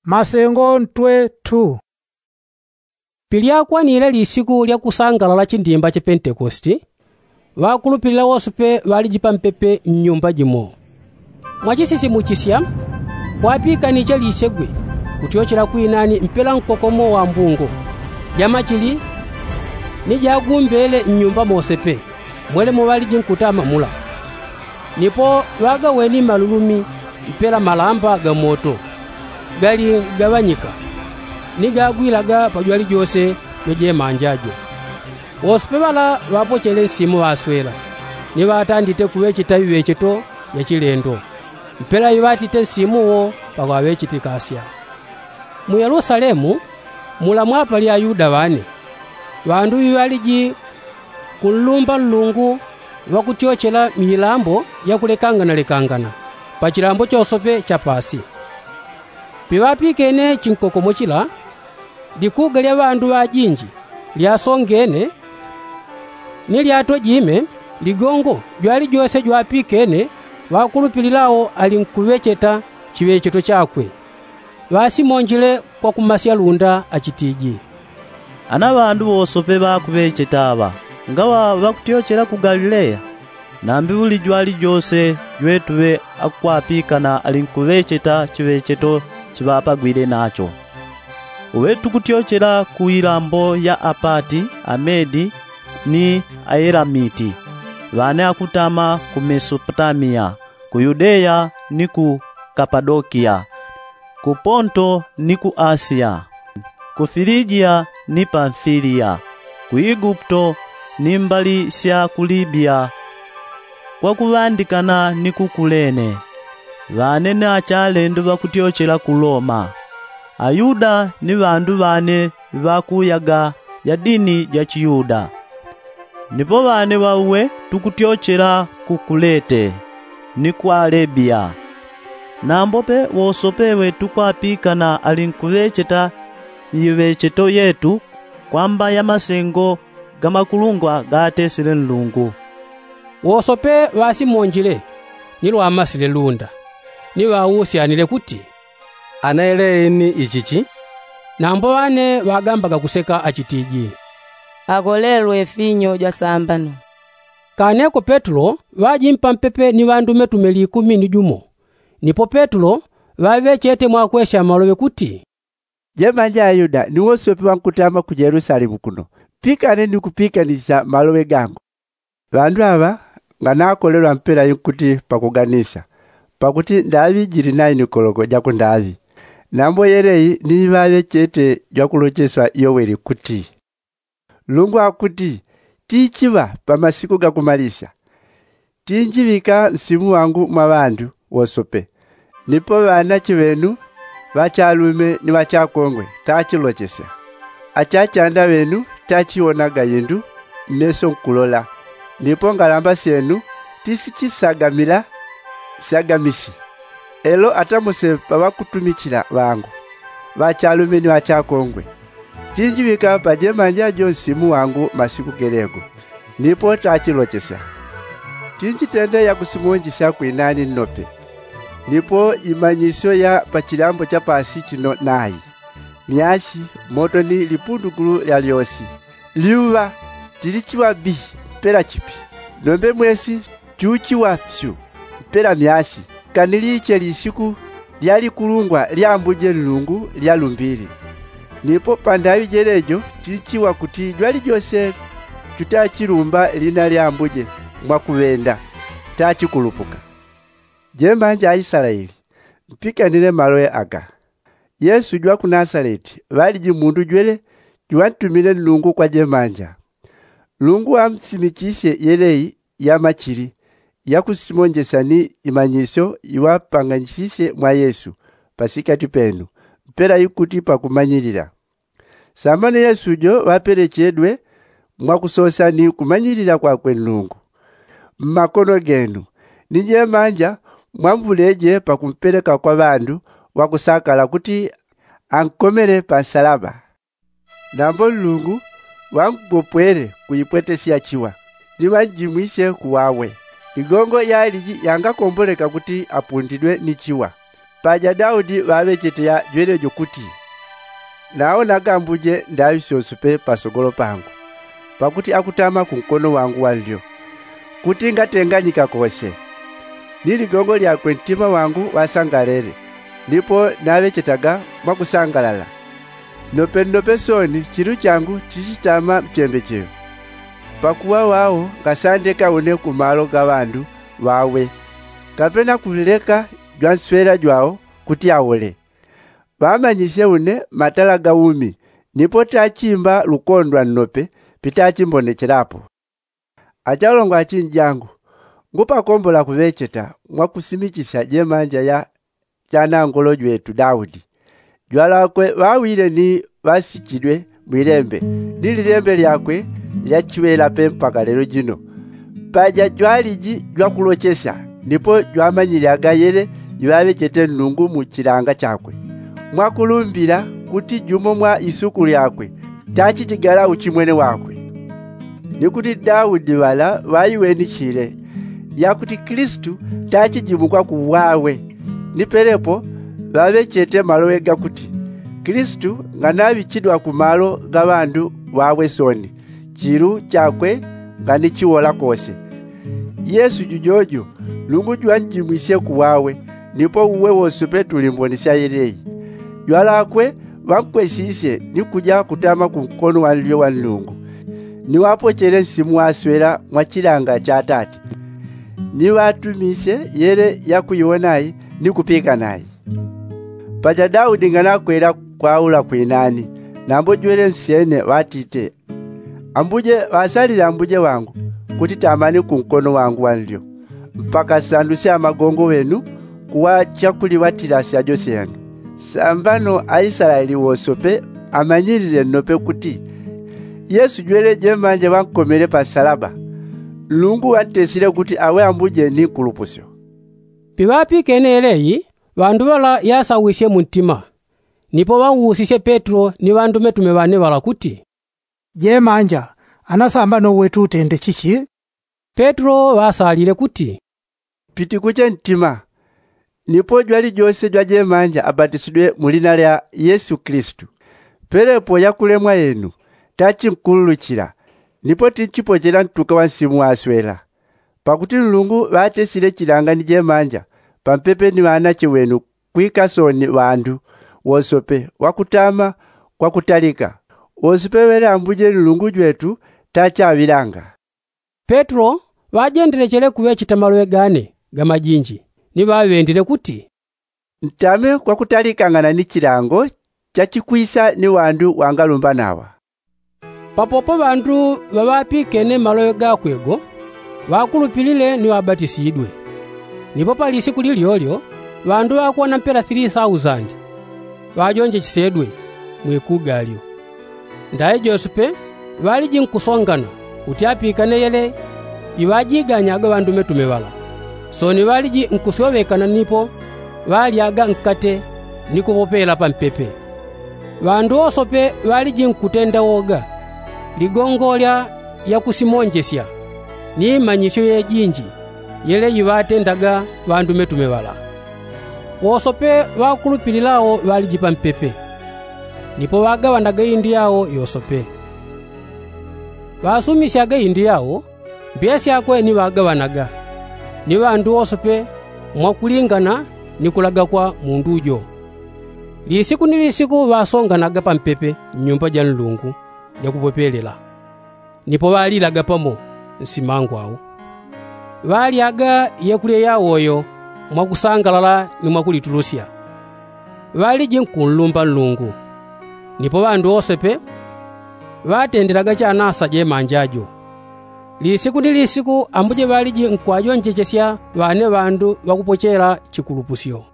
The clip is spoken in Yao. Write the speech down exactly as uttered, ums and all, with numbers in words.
Masengo ntwe tu. Pilyakwanile lisiku lya kusangalala chindimba cha pentekosti, ŵakulupilila wosepe ŵaliji pampepe nnyumba jimo. Mwachisisimuchisya kwapikaniche lisegwe kutyochela kwinani mpela nkokomo wa mbungo jamachili ni jagumbele nnyumba mosepe mwelemo ŵaliji nkutama mula. Nipo ŵagaweni malulumi mpela malamba ga moto gali gaŵanyika ni gagwilaga pajwali jose jojemanja jo. Wosepe ŵala ŵapochele nsimu ŵaswela ni ŵatandite kuŵecheta viŵecheto vya chilendo mpela iŵatite nsimu wo paŵaŵechete kasya. Mu yelusalemu mula mwapali ayuda ŵane ŵandu ŵiŵaliji kunlumba nlungu ŵakutyochela milambo yakulekangana lekangana pa chilambo chosope cha pasi. Piŵapikene chinkokomo chila likuga lya ŵandu ŵajinji lyasongene ni lyatojime ligongo jwalijose jwapikene ŵakulupililao alinkuŵecheta chiŵecheto chakwe. Ŵasimonjile kwa kumasya lunda achitiji, ana ŵandu ŵosope ŵakuŵecheta aŵa ngaŵa ŵakutyochela ku galileya? Nambi ŵuli jwalijose jwetuŵe akwapikana alinkuŵecheta chiŵecheto chiŵapagwile nacho. Uŵe tukutyochela ku ilambo ya apati amedi ni aelamiti ŵane akutama ku mesopotamiya, ku yudeya ni ku kapadokiya, ku ponto ni ku asiya, ku filijiya ni pamfiliya, ku iguputo ni mbali sya ku libiya, kwa kuŵandikana ni ku kulene. Ŵane ni achalendo ŵakutyochela ku loma, ayuda ni ŵandu ŵane ŵakuyaga ya dini ja chiyuda. Nipo ŵane ŵauwe tukutyochela ku kulete ni ku alebiya. Nambope wosope ŵetukwapikana alinkuŵecheta iŵecheto yetu kwamba ya masengo ga makulungwa gaatesile nlungu. Wosope ŵasimonjile ni lwamasile lunda ni ŵausyanile kuti, ana yeleyi ni ichichi? Nambo ŵane ŵagambaga kuseka achitiji, akolelwe finyo jwasambano. Kaneko petulo ŵajimpa mpepe ni ŵandumetume likumi ni jumo. Nipo petulo ŵaŵechete mwakwesya maloŵe kuti, jemanja ayuda ni wosope ŵankutama ku yelusalemu kuno, pikane ni kupikanisya maloŵe gangu. Ŵandu aŵa nganakolelwa mpela inkuti pakuganisya, pakuti ndaŵi jili nayo ni koloko ja kundaŵi. Nambo yeleyi ni ŵaŵechete jwakulocheswa yoweli kuti, nlungu akuti, tichiŵa pa masiku ga kumalisya tinjiŵika nsimu wangu mwa ŵandu wosope. Nipo ŵanache ŵenu ŵachalume ni ŵachakongwe tachilochesya, achachanda ŵenu tachiwonaga indu mmeso nkulola, nipo ngalamba syenu tisichisagamila syagamisi. Elo atamuse pa ŵakutumichila ŵangu ŵachalume ni ŵachakongwe, tinjiŵika pajemanja jo nsimu wangu masiku gelego. Nipo tachilochesya, tinjitende yakusimonjesya kwinani nnope. Nipo imanyisyo ya pa chilambo cha pasi chino nayi, myasi, moto ni lipundukulu lya lyosi, lyuŵa tilichiŵa bihi mpela chipi. Nombe mwesi chuchiŵa pyu mpela myasi, kani liche lisiku lya likulungwa lya ambuje nlungu lyalumbili. Nipo pandaŵi jelejo chilichiŵa kuti jwalijose chutachilumba lina lya ambuje mwakuŵenda tachikulupuka. Jemanja aislaeli, mpikanile maloŵe aga. Yesu jwa ku nasaleti ŵaliji mundu jwele juŵantumine nlungu kwa jemanja. Nlungu ŵamsimichisye yeleyi ya machili yakusimonjesya ni imanyisyo iŵapanganyisisye mwa yesu pasikati penu mpela ikuti pakumanyilila. Sambano yesu jo ŵapelechedwe mwakusosya ni kumanyilila kwakwe nlungu mmakono genu. Ni jemanja mwamvuleje pakumpeleka kwa ŵandu ŵakusakala kuti ankomele pa nsalaba. Nambo nlungu ŵangopwele kuipwetesya chiŵa ni ŵanjimwisye kuwawe. Igongo yaliji yangakomboleka kuti apundidwe ni chiŵa. Paja daudi ŵaŵechete yajwelejo kuti, nawonaga ambuje ndaŵi syonse pe pasogolo pangu, pakuti akutama kunkono wangu wanlyo, kuti ngatenganyika kose. Ni ligongo lyakwe ntima wangu ŵasangalele, nipo naŵechetaga mwakusangalala. Nnope nnope sooni chilu changu chichitama mchembechelo. Pakuŵa ŵao ngasandeka une kumalo ga ŵandu ŵawe, kapena kuleka jwanswela jwao kuti aule. Ŵamanyisye une matala ga umi, nipo tachimba lukondwa nnope pitachimbonechelapo. Achalongwa achinjangu, ngupakombola kuŵecheta mwakusimichisya jemanja ya chanangolo jwetu daudi. Jwalakwe ŵawile ni ŵasichidwe mwilembe, ni lilembe lyakwe lyachiŵela pe mpaka lelo jino. Paja jwaliji jwakulochesya, nipo jwamanyilyaga yele iŵaŵechete nlungu mu chilanga chakwe, mwakulumbila kuti jumo mwa isuku lyakwe tachijigala uchimwene wakwe. Ni kuti daudi ŵala ŵaiweni chile, yakuti kilisitu tachijimukwa kuŵawe. Ni pelepo ŵaŵechete maloŵe gakuti, kilisitu nganaŵichidwa kumalo ga ŵandu ŵawe sooni, chilu chakwe nganichiwola kose. Yesu jujojo, nlungu jwanjimwisye kuŵawe, nipo uwe wosope tuli mboni sya yeleyi. Jwalakwe ŵankwesisye ni kuja kutama kunkono wanlyo wa nlungu, ni ŵapochele nsimu waswela mwa chilanga cha atati, ni ŵatumisye yele yakuiwonayi ni kupikanayi. Paja daudi nganakwela kwaula kwinani, nambo jwele nsyene ŵatite, ambuje ŵasalile ambuje wangu, kuti tamani kunkono wangu wanlyo, mpaka nsandusye amagongo ŵenu kuŵa chakuliŵatila syajo syenu. Sambano aislaeli wosope amanyilile nnope kuti, yesu jwele jemanja ŵankomele pa nsalaba, nlungu ŵantesile kuti aŵe ambuje ni nkulupusyo. Piŵapikene yeleyi, ŵandu ŵala yasawisye muntima. Nipo ŵauusisye petro ni ŵandumetume ŵane ŵala kuti, jemanja, anasambano uwe tutende chichi? Petro ŵasalile kuti, pitikuche ntima. Nipo jwali jose jwajemanja abatisidwe mu lina lya yesu kilisitu, pelepo yakulemwa yenu, tachinkululuchila, nipo tinchipochela ntuka wa nsimu waswela. Pakuti nlungu ŵatesile chilanga ni jemanja pampepe ni ŵanache ŵenu, kwika sooni ŵandu wosope ŵakutama kwakutalika. Wosope ŵele ambuje nlungu jwetu tachaŵilanga. Petro ŵajendelechele kuŵecheta maloŵe gane gamajinji, ni ŵaŵendile kuti, ntame kwakutalikangana ni chilango chachikwisa ni ŵandu ŵangalumbanaŵa. Papopo ŵandu ŵaŵapikene maloŵe gakwe go, ŵakulupilile ni ŵabatisidwe. Nipo pa lisiku lilyolyo ŵandu ŵakuwana mpela three thousand ŵajonjechesedwe mwikuga lyo. Ndayi jose pe ŵaliji nkusongana kuti apikane yele iŵajiganyaga ŵandumetume ŵala. Sooni ŵaliji nkusyoŵekana nipo ŵalyaga nkate ni kupopela pampepe. Ŵandu wosope ŵaliji nkutenda woga, ligongolya yakusimonjesya, ni manyisyo yejinji yele iŵatendaga ŵandumetume ŵala. Wosope ŵakulupililao ŵaliji pampepe, nipo ŵagaŵanaga indu yao yosope. Ŵasumisyaga indu yao, mbiya syakwe ni ŵagaŵanaga, ni ŵandu wosope mwakulingana ni kulaga kwa mundu jo. Lisiku ni lisiku ŵasonganaga pampepe nnyumba ja nlungu jakupopelela, nipo ŵalilaga pamo nsimangwau. Ŵalyaga yekulya yawoyo mwakusangalala ni mwakulitulusya. Ŵaliji nkunlumba nlungu. Nipo ŵandu wosepe ŵatendelaga chanasa jemanja jo. Lisiku ni lisiku ambuje ŵaliji nkwajonjechesya ŵane ŵandu ŵakupochela chikulupusyo.